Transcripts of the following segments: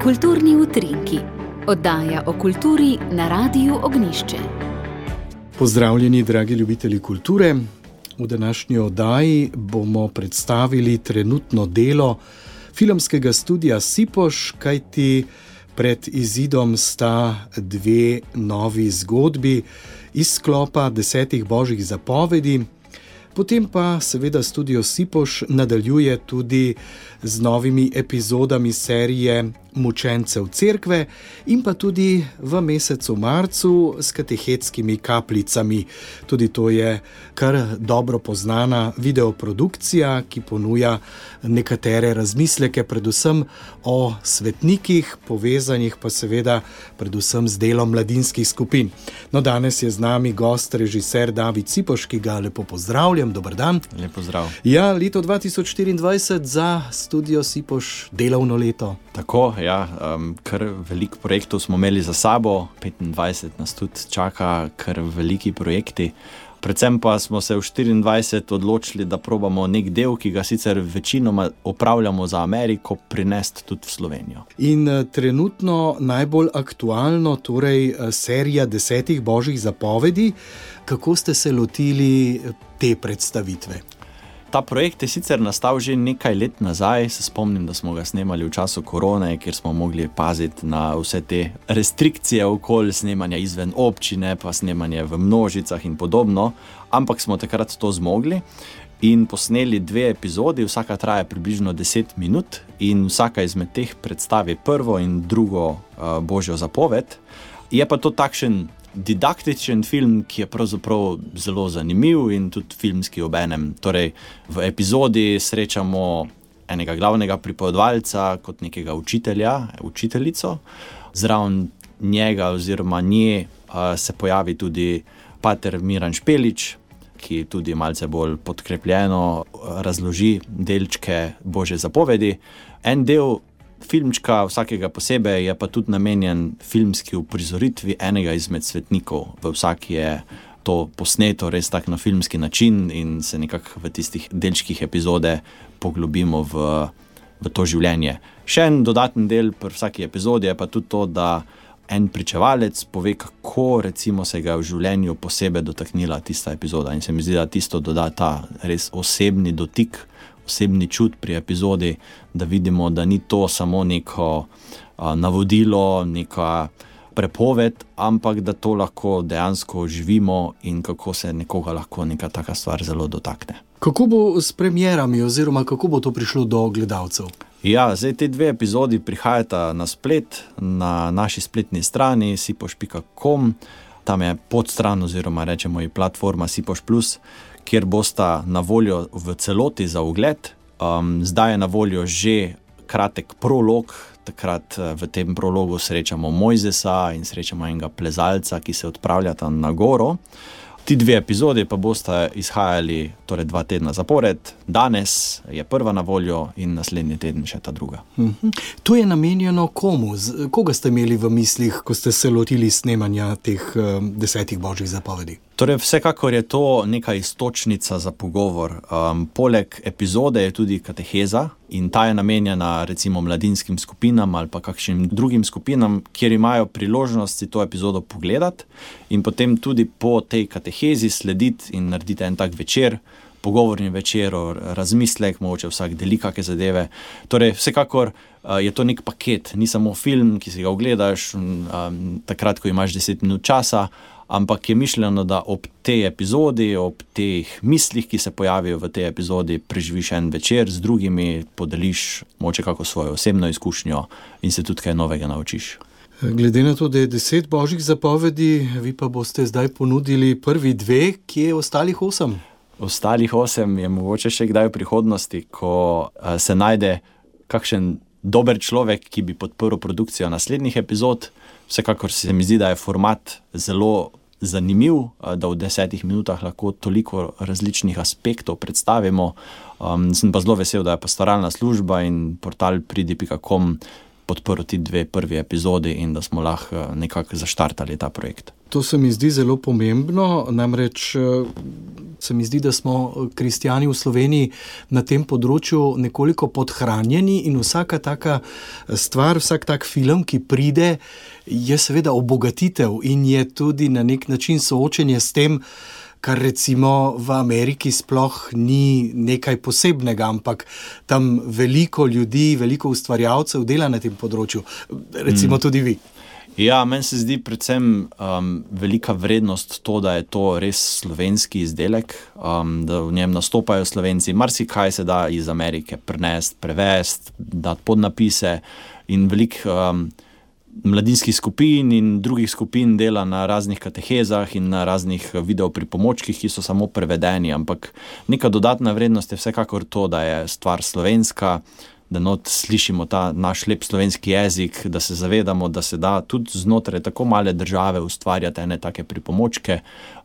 Kulturni utrinki, oddaja o kulturi na Radiu Ognjišče. Pozdravljeni, dragi ljubitelji kulture. V današnji oddaji bomo predstavili trenutno delo filmskega studia Sipoš, kajti pred izidom sta dve novi zgodbi iz sklopa 10 božjih zapovedi. Potem pa seveda studio Sipoš nadaljuje tudi z novimi epizodami serije Mučencev cerkve in pa tudi v mesecu marcu s katehetskimi kapljicami. Tudi to je kar dobro poznana videoprodukcija, ki ponuja nekatere razmisleke, predvsem o svetnikih, povezanih pa seveda predvsem z delom mladinskih skupin. No, danes je z nami gost, režiser David Sipoš, ki ga lepo pozdravljam. Dober dan. Lep pozdrav. Ja, leto 2024 za studio Sipoš, delovno leto. Tako, ja, kar veliko projektov smo imeli za sabo, 25 nas tudi čaka, kar veliki projekti. Predvsem pa smo se v 24 odločili, da probamo nek del, ki ga sicer večinoma opravljamo za Ameriko, prinesti tudi v Slovenijo. In trenutno najbolj aktualno, torej serija 10 božjih zapovedi. Kako ste se lotili te predstavitve? Ta projekt je sicer nastal že nekaj let nazaj. Se spomnim, da smo ga snemali v času korone, kjer smo mogli paziti na vse te restrikcije okoli snemanja izven občine, pa snemanje v množicah in podobno. Ampak smo takrat to zmogli in posneli 2 epizodi, vsaka traja približno 10 minut in vsaka izmed teh predstavi prvo in drugo božjo zapoved. Je pa to takšen didaktičen film, ki je pravzaprav zelo zanimiv in tudi filmski obenem. Torej, v epizodi srečamo enega glavnega pripovedovalca kot nekega učitelja, učiteljico. Zraven njega oziroma nje se pojavi tudi pater Miran Špelič, ki tudi malce bolj podkrepljeno razloži delčke božje zapovedi. En del filmčka vsakega posebej je pa tudi namenjen filmski uprizoritvi enega izmed svetnikov. V vsaki je to posneto res tak na filmski način in se nekako v tistih delčkih epizode poglobimo v to življenje. Še en dodaten del pri vsaki epizodi je pa tudi to, da en pričevalec pove, kako recimo se ga v življenju posebej dotaknila tista epizoda. In se mi zdi, da tisto doda ta res osebni dotik, osebni čut pri epizodi, da vidimo, da ni to samo neko navodilo, neka prepoved, ampak da to lahko dejansko živimo in kako se nekoga lahko neka taka stvar zelo dotakne. Kako bo s premierami oziroma kako bo to prišlo do gledalcev? Ja, zdaj te 2 epizodi prihajata na splet, na naši spletni strani sipoš.com. Tam je podstran oziroma rečemo ji platforma Sipoš Plus, kjer bosta na voljo v celoti za ogled. Zdaj je na voljo že kratek prolog. Takrat v tem prologu srečamo Mojzesa in srečamo enega plezalca, ki se odpravljata na goro. Ti 2 epizodi pa bosta izhajali torej 2 tedna zapored. Danes je prva na voljo in naslednji teden še ta druga. To je namenjeno komu? Koga ste imeli v mislih, ko ste se lotili snemanja teh 10 božjih zapovedi? Torej, vsekakor je to neka iztočnica za pogovor. Poleg epizode je tudi kateheza in ta je namenjena recimo mladinskim skupinam ali pa kakšnim drugim skupinam, kjer imajo priložnost si to epizodo pogledati in potem tudi po tej katehezi slediti in narediti en tak večer, pogovorni večer, razmislek, mogoče vsak deli kakšne zadeve. Torej, vsekakor je to nek paket, ni samo film, ki si ga ogledaš takrat, ko imaš 10 minut časa, ampak je mišljeno, da ob tej epizodi, ob teh mislih, ki se pojavijo v tej epizodi, preživiš en večer z drugimi, podeliš mogoče kako svojo osebno izkušnjo in se tudi kaj novega naučiš. Glede na to, da je 10 božjih zapovedi, vi pa boste zdaj ponudili prvi 2, kje je ostalih 8? Ostalih 8 je mogoče še kdaj v prihodnosti, ko se najde kakšen dober človek, ki bi podprl produkcijo naslednjih epizod. Vsekakor se mi zdi, da je format zelo zanimiv, da v 10 minutah lahko toliko različnih aspektov predstavimo. Sem pa zelo vesel, da je pastoralna služba in portal pridi.com podprl ti 2 prvi epizodi in da smo lahko nekako zaštartali ta projekt. To se mi zdi zelo pomembno, namreč se mi zdi, da smo kristjani v Sloveniji na tem področju nekoliko podhranjeni in vsaka taka stvar, vsak tak film, ki pride, je seveda obogatitev in je tudi na nek način soočenje s tem, kar recimo v Ameriki sploh ni nekaj posebnega, ampak tam veliko ljudi, veliko ustvarjalcev dela na tem področju, recimo tudi vi. Ja, meni se zdi predvsem velika vrednost to, da je to res slovenski izdelek, da v njem nastopajo Slovenci. Marsikaj se da iz Amerike prenesti, prevesti, dati podnapise in veliko mladinskih skupin in drugih skupin dela na raznih katehezah in na raznih videopripomočkih, ki so samo prevedeni, ampak neka dodatna vrednost je vsekakor to, da je stvar slovenska, da not slišimo ta naš lep slovenski jezik, da se zavedamo, da se da tudi znotraj tako male države ustvarjati ene take pripomočke,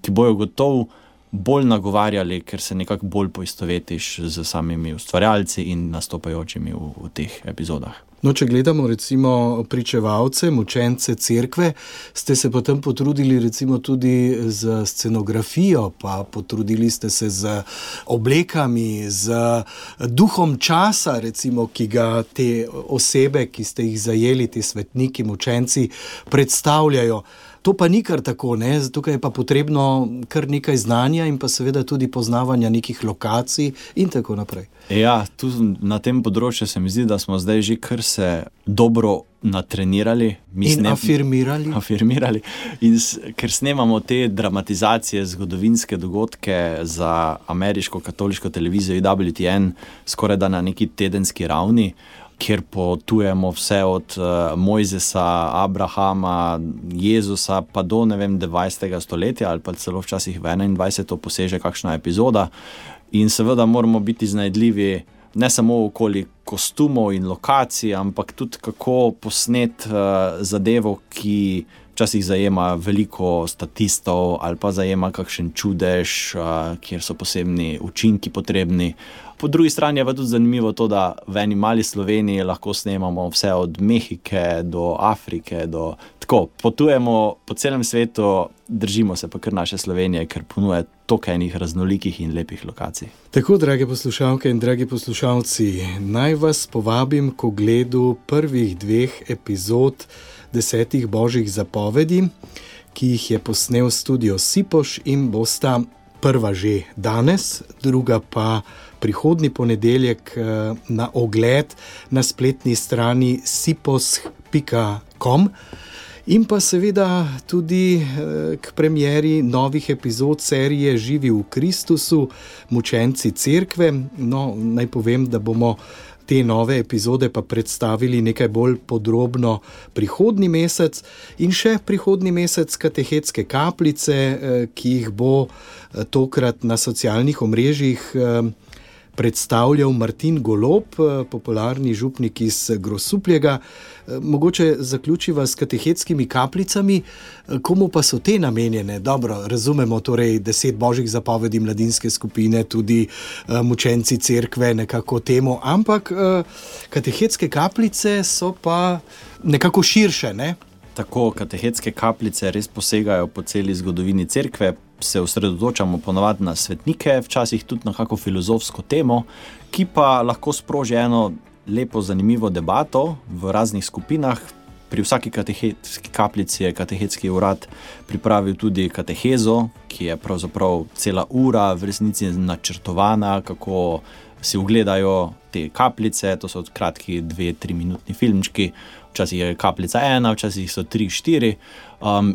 ki bojo gotovo bolj nagovarjali, ker se nekako bolj poistovetiš z samimi ustvarjalci in nastopajočimi v teh epizodah. No, če gledamo recimo pričevalce, mučence cerkve, ste se potem potrudili recimo tudi z scenografijo, pa potrudili ste se z oblekami, z duhom časa, recimo, ki ga te osebe, ki ste jih zajeli, ti svetniki, mučenci, predstavljajo. To pa ni kar tako, ne? Tukaj je pa potrebno kar nekaj znanja in pa seveda tudi poznavanja nekih lokacij in tako naprej. Ja, tu na tem področju se mi zdi, da smo zdaj že kar se dobro natrenirali. Afirmirali. In ker snemamo te dramatizacije, zgodovinske dogodke za ameriško katoliško televizijo WTN skoraj da na neki tedenski ravni, kjer potujemo vse od Mojzesa, Abrahama, Jezusa pa do, 20. stoletja ali pa celo včasih v 21. poseže kakšna epizoda. In seveda moramo biti iznajdljivi ne samo okoli kostumov in lokacij, ampak tudi kako posnet zadevo, ki včasih zajema veliko statistov ali pa zajema kakšen čudež, kjer so posebni učinki potrebni. Po drugi strani je pa tudi zanimivo to, da v eni mali Sloveniji lahko snemamo vse od Mehike do Afrike, tako, potujemo po celem svetu, držimo se pa kar naše Slovenije, ker ponuja toliko enih raznolikih in lepih lokacij. Tako, drage poslušalke in dragi poslušalci, naj vas povabim k ogledu prvih 2 epizod 10 božjih zapovedi, ki jih je posnel studio Sipoš in bosta prva že danes, druga pa prihodnji ponedeljek na ogled na spletni strani sipos.com in pa seveda tudi k premieri novih epizod serije Živi v Kristusu, mučenci cerkve. No, naj povem, da bomo te nove epizode pa predstavili nekaj bolj podrobno prihodnji mesec in še prihodnji mesec katehetske kapljice, ki jih bo tokrat na socialnih omrežjih predstavljal Martin Golob, popularni župnik iz Grosuplja. Mogoče zaključiva s katehetskimi kapljicami. Komu pa so te namenjene? Dobro, razumemo torej 10 božjih zapovedi mladinske skupine, tudi mučenci cerkve nekako temu, ampak katehetske kapljice so pa nekako širše, ne? Tako, katehetske kapljice res posegajo po celi zgodovini cerkve, se osredotočamo ponavadi na svetnike, včasih tudi na kako filozofsko temo, ki pa lahko sproži eno lepo, zanimivo debato v raznih skupinah. Pri vsaki katehetski kapljici je katehetski urad pripravil tudi katehezo, ki je pravzaprav cela ura v resnici načrtovana, kako si ogledajo te kapljice, to so kratki 2-3 minutni filmčki, včasih je kapljica 1, včasih so 3-4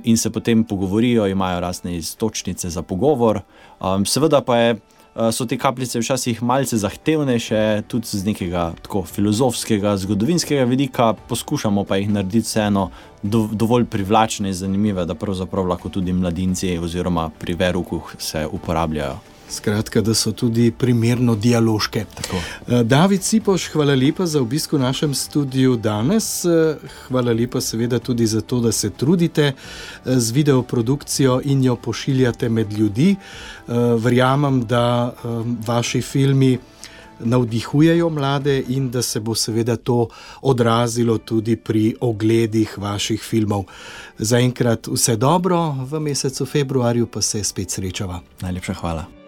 in se potem pogovorijo, imajo razne iztočnice za pogovor. Seveda pa so te kapljice včasih malce zahtevnejše, tudi z nekega tako filozofskega, zgodovinskega vidika, poskušamo pa jih narediti vseeno dovolj privlačne in zanimive, da pravzaprav lahko tudi mladinci oziroma pri veruku se uporabljajo. Skratka, da so tudi primerno dialoške. Tako. David Sipoš, hvala lepa za obisk v našem studiu danes. Hvala lepa seveda tudi za to, da se trudite z videoprodukcijo in jo pošiljate med ljudi. Verjamem, da vaši filmi navdihujejo mlade in da se bo seveda to odrazilo tudi pri ogledih vaših filmov. Zaenkrat vse dobro, v mesecu februarju pa se spet srečava. Najlepša hvala.